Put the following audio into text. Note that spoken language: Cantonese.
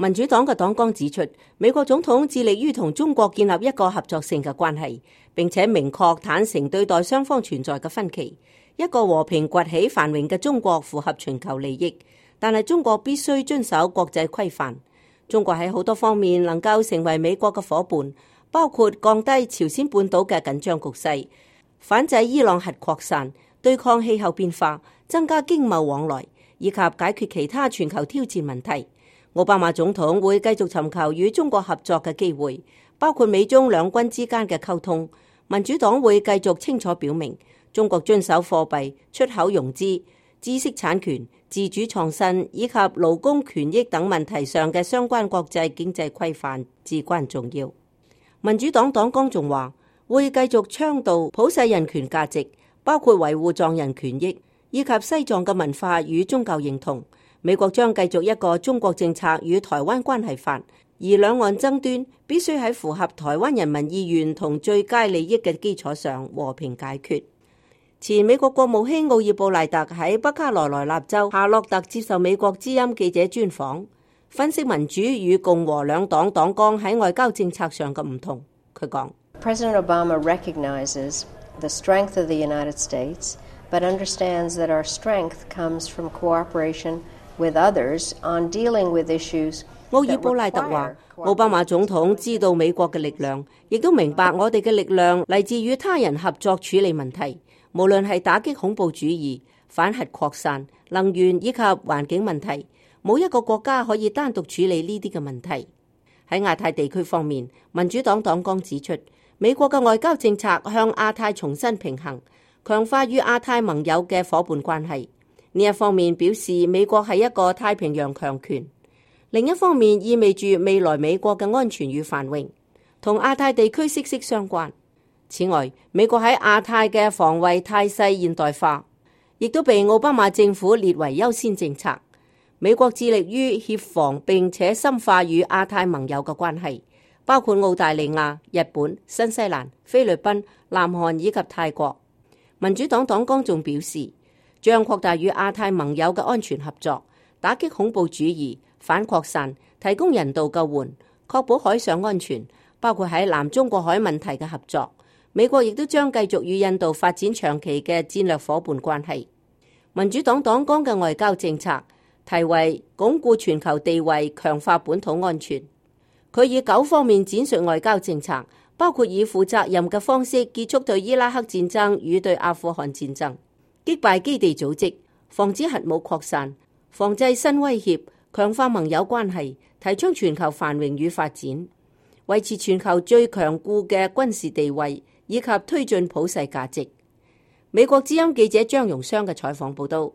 民主黨嘅黨綱指出，美國總統致力於同中國建立一個合作性嘅關係，並且明確坦誠對待雙方存在嘅分歧。一個和平崛起繁榮嘅中國符合全球利益，但係中國必須遵守國際規範。中國喺好多方面能夠成為美國嘅夥伴，包括降低朝鮮半島嘅緊張局勢、反制伊朗核擴散、對抗氣候變化、增加經貿往來，以及解決其他全球挑戰問題。奧巴馬總統會繼續尋求與中國合作嘅機會，包括美中兩軍之間嘅溝通。民主黨會繼續清楚表明，中國遵守貨幣、出口融資、知識產權、自主創新以及勞工權益等問題上嘅相關國際經濟規範至關重要。民主黨黨綱仲話，會繼續倡導普世人權價值，包括維護藏人權益以及西藏嘅文化與宗教認同。美國將繼續一個中國政策與台灣關係法，而兩岸爭端必須喺符合台灣人民意願同最佳利益嘅基礎上和平解決。前美國國務卿奧爾布賴特喺北卡羅來納州夏洛特接受美國之音記者專訪，分析民主與共和兩黨黨綱喺外交政策上嘅唔同。佢講：President Obama recognizes the strength of the United States, but understands that our strength comes from cooperation with others on dealing with issues。奧爾布賴特話，奧巴馬總統知道美國嘅力量，亦都明白我哋嘅力量嚟自與他人合作處理問題，無論係打擊恐怖主義、反核擴散、能源以及環境問題，冇一個國家可以單獨處理呢啲嘅問題。喺亞太地區方面，民主黨黨綱指出，美國嘅外交政策向亞太重新平衡，強化與亞太盟友嘅夥伴關係。呢一方面表示美國係一個太平洋強權，另一方面意味住未來美國嘅安全與繁榮同亞太地區息息相關。此外，美國喺亞太嘅防衛態勢現代化，亦都被奧巴馬政府列為優先政策。美國致力於協防並且深化與亞太盟友嘅關係，包括澳大利亞、日本、新西蘭、菲律賓、南韓以及泰國。民主黨黨綱仲表示，將擴大與亞太盟友嘅安全合作，打擊恐怖主義、反擴散，提供人道救援，確保海上安全，包括喺南中國海問題嘅合作。美國亦都將繼續與印度發展長期嘅戰略夥伴關係。民主黨黨綱嘅外交政策題為鞏固全球地位，強化本土安全。佢以9方面展述外交政策，包括以負責任嘅方式結束對伊拉克戰爭與對阿富汗戰爭，擊敗基地組織，防止核武擴散，防制新威脅，強化盟友關係，提倡全球繁榮與發展，維持全球最強固嘅軍事地位，以及推進普世價值。美國之音記者張榮湘嘅採訪報道。